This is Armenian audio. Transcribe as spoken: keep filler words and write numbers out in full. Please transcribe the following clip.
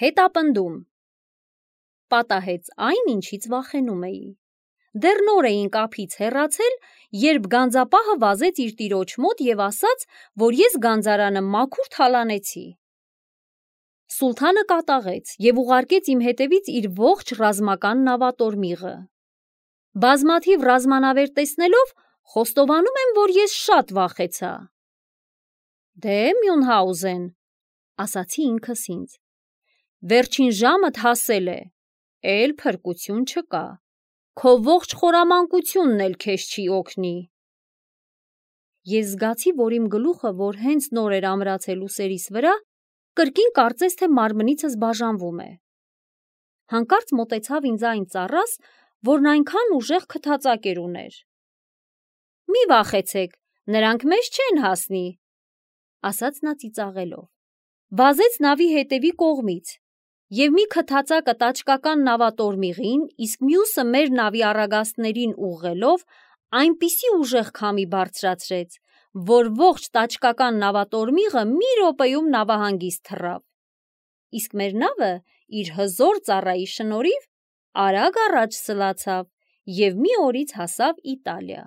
Հետապնդում։ Պատահեց այն, ինչից վախենում էի։ Դեռ նոր էինք ափից հեռացել, երբ գանձապահը վազեց իր տիրոջ մոտ և ասաց, որ ես գանձարանը մաքուր թալանեցի։ Սուլթանը կատաղեց և ուղարկեց իմ հետևից իր ողջ ռազմական նավատորմիղը։ Բազմաթիվ ռազմանավեր տեսնելով, խոստովանում եմ, որ ես շատ վախեցա։ Դե Մյունհաուզեն, ասացի ինքս ինձ, վերջին ժամդ հասել է, էլ փրկություն չկա, քո ողջ խորամանկությունն էլ քեզ չի օգնի։ Ես զգացի, որ իմ գլուխը, որ հենց նոր էր ամրացել ուսերիս վրա, կրկին կարծես թե մարմնիցս բաժանվում է։ Հանկարծ մոտեցավ ինձ այն ծառաս, որն այնքան ուժեղ քթածակեր ուներ։ Մի վախեցեք, նրանք մեզ չեն հասնի, ասաց նա ծիծաղելով։ Վազեց նավի հետևի կողմից, և մի քթածակը տաճկական նավատորմիղին, իսկ մյուսը մեր նավի առագաստներին ուղղելով, այնպիսի ուժեղ քամի բարձրացրեց, որ ողջ տաճկական նավատորմիղը մի րոպեում նավահանգիստ թռավ, իսկ մեր նավը իր հզոր ծառայի շնորհիվ արագ առաջ սլացավ և մի օրից հասավ Իտալիա։